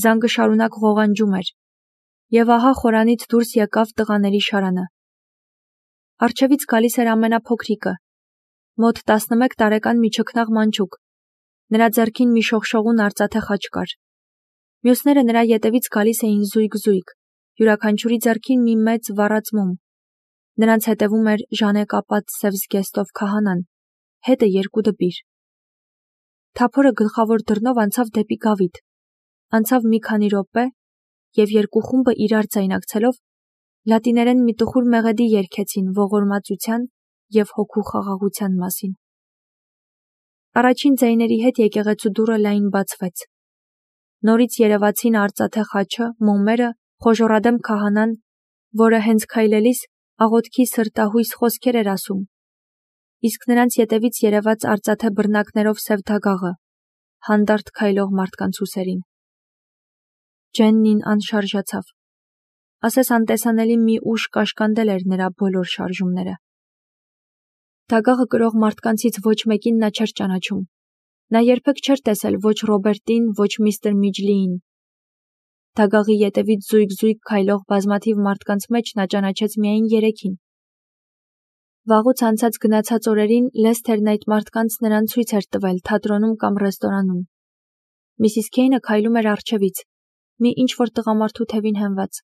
Զանգը շարունակ ղողանջում էր, եւ ահա խորանից դուրս եկավ տղաների շարանը։ Առջևից գալիս էր ամենափոքրիկը, մոտ 11 տարեկան մի չքնաղ մանչուկ, նրա ձեռքին մի շողշողուն արծաթե խաչ կար։ Մյուսները նրա ետևից գալիս էին զույգ, յուրաքանչյուրի ձեռքին մի մեծ վառած մոմ։ Նրանց հետևում էր ժանեկապատ սև զգեստով քահանան, հետը 2 դպիր։ Թափորը գլխավոր դռնով անցավ դեպի գավիթ, անցավ մի քանի րոպե, եւ 2 խումբը իրար ձայնակցելով լատիներեն մի տխուր մեղեդի երգեցին ողորմածության եւ հոգու խաղաղության մասին։ Առաջին ձայների հետ եկեղեցու դուռը լայն բացվեց։ Նորից երևացին արծաթե խաչը, մոմերը, խոժոռադեմ քահանան, որը հենց քայլելիս աղոթքի սրտահույս խոսքեր էր ասում, իսկ նրանց ետևից երևաց արծաթե բռնակներով սև դագաղը, հանդարտ քայլող մարդկանց ուսերին։ Ջեննին անշարժացավ։ Ասես անտեսանելի մի ուժ կաշկանդել էր նրա բոլոր շարժումները։ Դագաղը կրող մարդկանցից ոչ մեկին նա չէր ճանաչում։ Նա երբեք չէր տեսել ոչ Ռոբերտին, ոչ միստր Միջլիին։ Դագաղի ետևից զույգ քայլող բազմաթիվ մարդկանց մեջ նա ճանաչեց միայն 3-ին։ Վաղուց անցած գնացած օրերին Լեսթերն այդ մարդկանց նրան ցույց էր տվել թատրոնում կամ ռեստորանում։ Միսիս Քեյնը քայլում էր առջևից, մի ինչ-որ տղամարդու թևին հենված։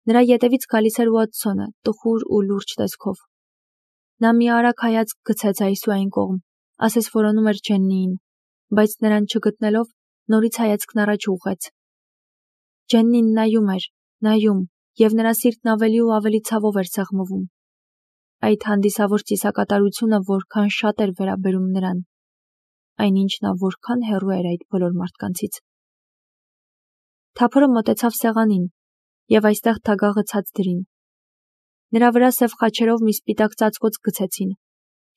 Նրա ետևից գալիս էր Ուոթսոնը, տխուր ու լուրջ տեսքով։ Նա մի արագ հայացք գցեց այս ու այն կողմ, ասես որոնում էր Ջեննիին, բայց նրան չգտնելով նորից հայացքն առաջ ուղղեց։ Ջեննին նայում, եւ նրա սիրտն ավելի ու ավելի ցավով էր սեղմվում։ Այդ հանդիսավոր ծիսակատարությունը որքան շատ էր վերաբերում նրան, այնինչ նա որքան հեռու էր այդ բոլոր մարդկանցից։ Թափորը մոտեցավ սեղանին, եւ այստեղ Դագաղը ցած դրին։ Նրա վրա սև խաչերով մի սպիտակ ծածկոց գցեցին,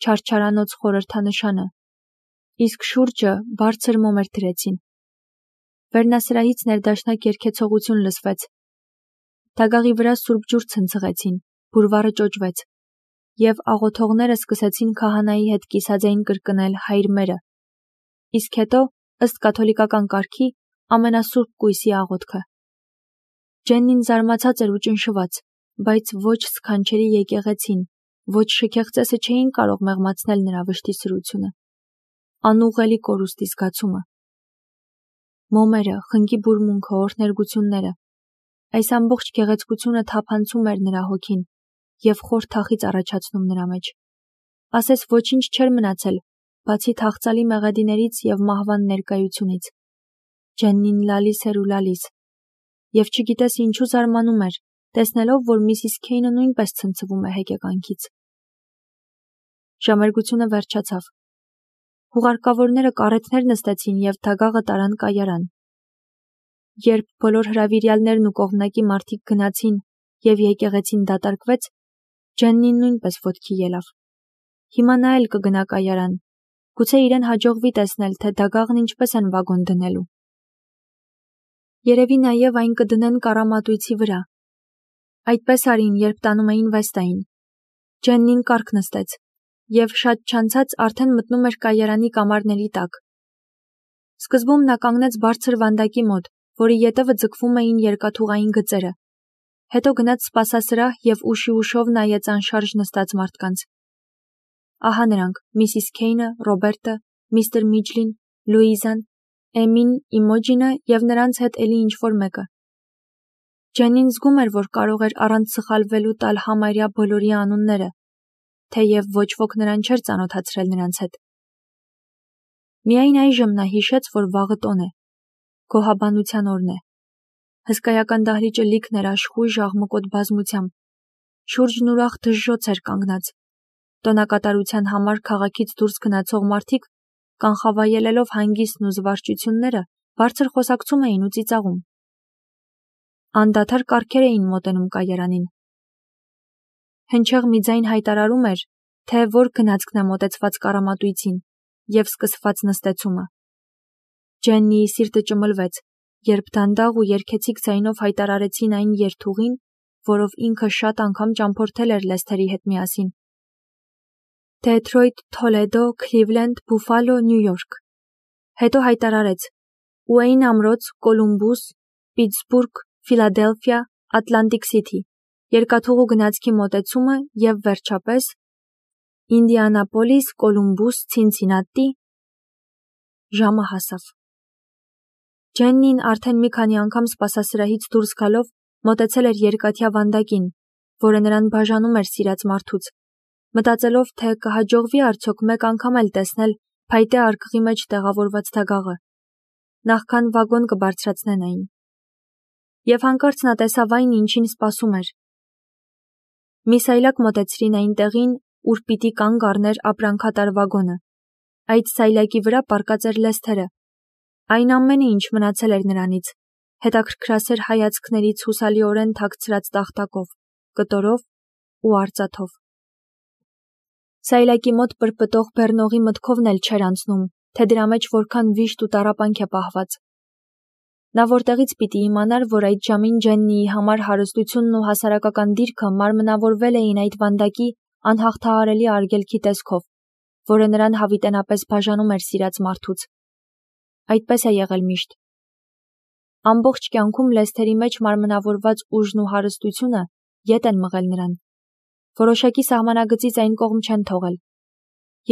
չարչարանոց խորհրդանշանը, իսկ շուրջը բարձր մոմեր դրեցին։ Վերնասրահից ներդաշնակ երգեցողություն լսվեց։ Դագաղի վրա սուրբ ջուր ցնցղեցին, բուրվառը ճոճվեց, եւ աղոթողները սկսեցին քահանայի հետ կիսաձայն կրկնել հայր մերը, իսկ հետո, ըստ կաթոլիկական կարգի, ամենասուրբ կույսի աղոթքը։ Ջեննին զարմացած էր ու ճնշված, բայց ոչ սքանչելի եկեղեցին, ոչ շքեղ ծեսը չէին կարող մեղմացնել նրա վշտի սրությունը, անուղղելի կորուստի զգացումը։ Մոմերը, խնկի բուրմունքը, օրհներգությունները, այս ամբողջ գեղեցկությունը թափանցում էր նրա հոգին եւ խոր թախիծ առաջացնում նրա մեջ։ Ասես ոչինչ չէր մնացել, բացի թախծալի մեղեդիներից եւ մահվան ներկայությունից։ Ջեննին լալիս էր ու լալիս, եւ չգիտես ինչու զարմանում էր, տեսնելով, որ Միսիս Քեյնը նույնպես ցնցվում է հեկեկանքից։ Ժամերգությունը վերջացավ։ Հուղարկավորները կարեթներ նստեցին եւ Դագաղը տարան կայարան։ Երբ բոլոր հրավիրյալներն ու կողմնակի մարդիկ գնացին եւ եկեղեցին դատարկվեց, Ջեննին նույնպես ոտքի ելավ։ Հիմա նա էլ կգնա կայարան։ Գուցե իրեն հաջողվի տեսնել, թե Դագաղն ինչպես են վագոն դնելու։ Երևի նաեւ այն կդնեն կառամատույցի վրա։ Այդպես արին, երբ տանում էին Վեստային։ Ջեննին կառք նստեց, եւ շատ չանցած արդեն մտնում էր կայարանի կամարների տակ։ Սկզբում նա կանգնեց բարձր վանդակի մոտ, որի ետևը ձգվում էին երկաթուղային գծերը։ Հետո գնաց սպասասրահ եւ ուշով նայեց անշարժ նստած մարդկանց։ Ահա նրանք՝ Միսիս Քեյնը, Ռոբերտը, միստր Միջլին, Լուիզան, Էմին, Իմոջինը եւ նրանց հետ էլի ինչ-որ մեկը։ Ջենին զգում էր, որ կարող էր առանց սխալվելու տալ համարյա բոլորի անունները, թեև ոչ ոք նրան չէր ծանոթացրել նրանց հետ։ Միայն այժմ նա հիշեց, որ վաղը տոն է, գոհաբանության օրն է։ Հսկայական դահլիճը լիքն էր աշխույժ աղմկոտ բազմությամբ, շուրջն ուրախ դժժոց էր կանգնած։ Տոնակատարության համար քաղաքից դուրս գնացող մարդիկ, կանխավայելելով հանգիստն ու զվարճությունները, բարձր խոսակցում էին ու ծիծաղում։ Անդադար կառքեր էին մոտենում կայարանին։ Հնչեղ մի ձայն հայտարարում էր, թե որ գնացքն է մոտեցված կառամատույցին եւ սկսված նստեցումը։ Ջեննիի սիրտը ճմլվեց, երբ դանդաղ ու երգեցիկ ձայնով հայտարարեցին այն երթուղին, որով ինքը շատ անգամ ճամփորդել էր Լեսթերի հետ միասին։ Դեթրոյթ, Թոլեդո, Քլիվլենդ, Բուֆալո, Նյու Յորք։ Հետո հայտարարեց. Ուեյն ամրոց, Կոլումբուս, Պիտսբուրգ, Ֆիլադելֆիա, Ատլանտիկ Սիթի, երկաթուղու գնացքի մոտեցումը և վերջապես Ինդիանապոլիս, Կոլումբուս, Ցինցինատի։ Ժամը հասավ։ Ջեննին արդեն մի քանի անգամ սպասասրահից դուրս գալով մոտեցել էր երկաթյա վանդակին, որը նրան բաժանում էր սիրած մարդուց, մտածելով, թե կհաջողվի արդյոք մեկ անգամ էլ տեսնել փայտե արկղի մեջ տեղավորված դագաղը, նախքան վագոն կբարձրացնեն այն։ Եվ հանկարծ նա տեսավ այն, ինչին սպասում էր։ Մի սայլակ մոտեցրին այն տեղին, ուր պիտի կանգ առներ ապրանքատար վագոնը։ Այդ սայլակի վրա պառկած էր Լեսթերը։ Այն ամենը, ինչ մնացել էր նրանից, հետաքրքրասեր հայացքներից հուսալիորեն թաքցրած տախտակով, կտորով ու արծաթով։ Սայլակի մոտ պրպտող բեռնողի մտքովն էլ չէր անցնում, թե դրա մեջ որքան վիշտ ու տառապանք է պահված։ Նա որտեղից պիտի իմանար, որ այդ ժամին Ջեննիի համար հարստությունն ու հասարակական դիրքը մարմնավորվել էին այդ վանդակի անհաղթահարելի արգելքի տեսքով, որը նրան հավիտենապես բաժանում էր սիրած մարդուց։ Այդպես է եղել միշտ։ Ամբողջ կյանքում Լեսթերի մեջ մարմնավորված ուժն ու հարստությունը ետ են մղել նրան։ Որոշակի սահմանագծից այն կողմ չեն թողել։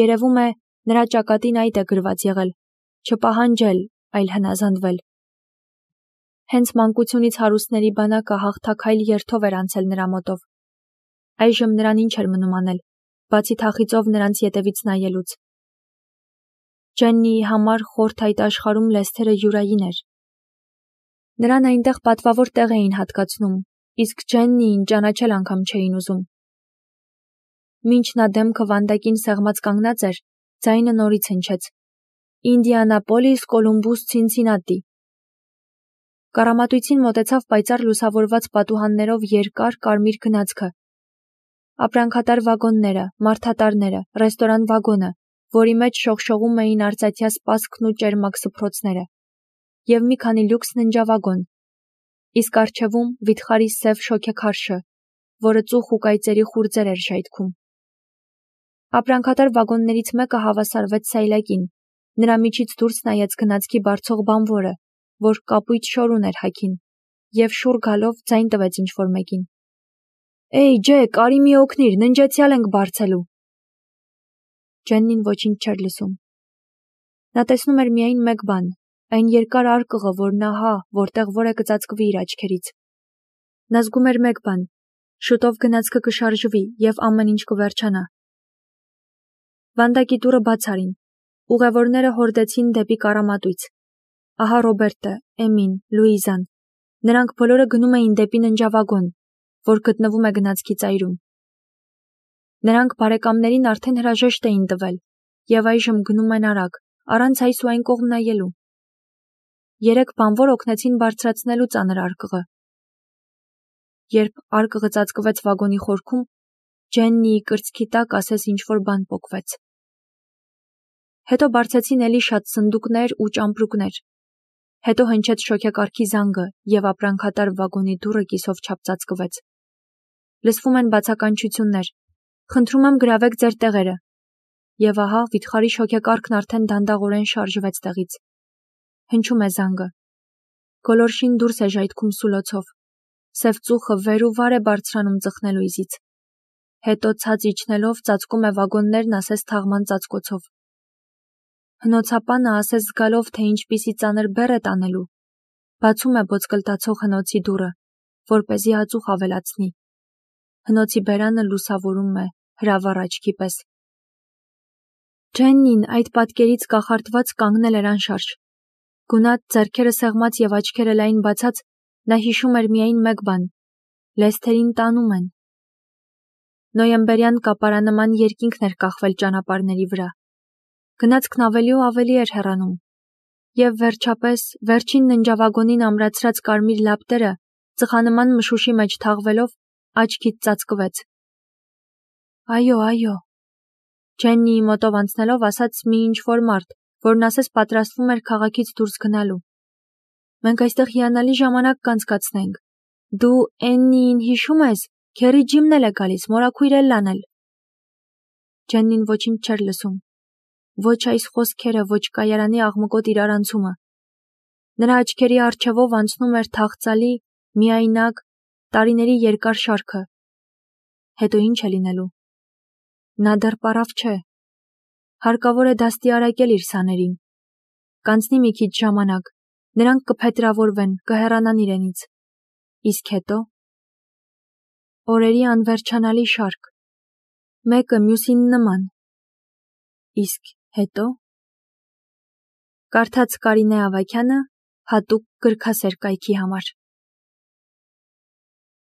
Երևում է, նրա ճակատին այդ է գրված եղել, չպահանջել, այլ հնազանդվել։ Հենց մանկությունից հարուստների բանակը հաղթաքայլ երթով էր անցել նրա մոտով։ Այժմ նրան ինչ էր մնում անել, բացի թախիծով նրանց ետևից նայելուց։ Ջեննիի համար խորթ այդ աշխարհում Լեսթերը յուրային էր։ Նրան այնտեղ պատվավոր տեղ էին հատկացնում, իսկ Ջեննիին ճանաչել անգամ չէին ուզում։ Մինչ նա դեմքը վանդակին սեղմած կանգնած էր, ձայնը նորից հնչեց. Ինդիանապոլիս, Կոլումբուս, Ցինցինատի։ Կառամատույցին մոտեցավ պայծառ լուսավորված պատուհաններով երկար կարմիր գնացքը։ Ապրանքատար վագոնները, մարդատարները, ռեստորան վագոնը, որի մեջ շողշողում էին արծաթյա սպասքն ու ճերմակ սփռոցները, և մի քանի լյուքս ննջավագոն, իսկ առջևում վիթխարի սև շոգեքարշը, որը ծուխ ու կայծերի խուրձեր էր ժայթքում։ Ապրանքատար վագոններից մեկը հավասարվեց սայլակին, նրա միջից դուրս նայեց գնացքի բարձող բանվորը, որ կապույտ շոր ուներ հագին, և շուռ գալով ձայն տվեց ինչ-որ մեկին. «Էյ, Ջեք, արի մի օգնիր, ննջեցյալ ենք բարձելու»։ Ջեննին ոչինչ չէր լսում։ Նա տեսնում էր միայն մեկ բան, այն երկար արկղը, որն ահա, որտեղ որ է կծածկվի իր աչքերից։ Նա զգում էր մեկ բան, շուտով գնացքը կշարժվի և ամեն ինչ կվերջանա։ Վանդակի դուռը բաց արին, ուղևորները հորդեցին դեպի կառամատույց։ Ահա Ռոբերտը, Էմին, Լուիզան, նրանք բոլորը գնում էին դեպի ննջավագոն, որ գտնվում է գնացքի ծայրում։ Նրանք բարեկամներին արդեն հրաժեշտ էին տվել և այժմ գնում են արագ, առանց այս ու այն կողմ նայելու։ 3 բանվոր օգնեցին բարձրացնելու ծանր արկղը։ Երբ արկղը ծածկվեց վագոնի խորքում, Ջեննիի կրծքի տակ ասես ինչ-որ բան պոկվեց։ Հետո բարձեցին էլի շատ սնդուկներ ու ճամպրուկներ։ Հետո հնչեց շոգեկարգի զանգը և ապրանքատար վագոնի դուռը կիսով չափ ծածկվեց։ Լսվում են բացականչություններ. «Խնդրում եմ գրավեք ձեր տեղերը»։ Եվ ահա վիթխարի շոգեկարգն արդեն դանդաղորեն շարժվեց տեղից։ Հնչում է զանգը։ Գոլորշին դուրս է ժայթքում սուլոցով։ Սև ծուխը վեր ու վար է բարձրանում ծխնելույզից։ Հետո ցած իջնելով ծածկում է վագոններն ասես թաղման ծածկոցով։ Հնոցապանը ասես զգալով, թե ինչպիսի ծանր բեռ է տանելու, բացում է ոսկլտացող հնոցի դուռը, որպեսզի ածուխ ավելացնի։ Հնոցի բերանը լուսավորում է հրավառ աչքի պես։ Ջեննին այդ պատկերից կախարդված կանգնել էր անշարժ։ Գունատ, ձեռքերը սեղմած և աչքերը լայն բացած, նա հիշում էր միայն մեկ բան. Լեսթերին տանում են։ Նոյեմբերյան կապարանման երկինքն էր կախվել ճանապարհների վրա։ Գնացքն ավելի ու ավելի էր հեռանում։ Եվ վերջապես, վերջին ննջավագոնին ամրացրած կարմիր լապտերը, ծխանման մշուշի մեջ թաղվելով, աչքից ծածկվեց։ Այո, այո։ Ջեննիի մոտով անցնելով ասաց մի ինչ-որ մարդ, որն ասես պատրաստվում էր քաղաքից դուրս գնալու։ Մենք այստեղ հիանալի ժամանակ կանցկացնենք։ Դու Էննիին հիշում ես, Քերի Ջիմն էլ է գալիս, մորաքույր Էլլան էլ։ Ջեննին ոչինչ չէր լսում։ Ոչ այս խոսքերը, ոչ կայարանի աղմկոտ իրարանցումը։ Նրա աչքերի առջևով անցնում էր թախծալի, միայնակ, տարիների երկար շարքը։ Հետո ինչ է լինելու։ Նա դեռ պարավ չէ։ Հարկավոր է դաստիարակել իր սաներին։ Կանցնի մի քիչ ժամանակ, նրանք կփետրավորվեն, կհեռանան իրենից։ Իսկ հետո։ Օրերի անվերջանալի շարք։ Մեկը մյուսին նման։ Իսկ հետո։ Կարդաց Կարինե Ավագյանը հատուկ գրքասեր կայքի համար։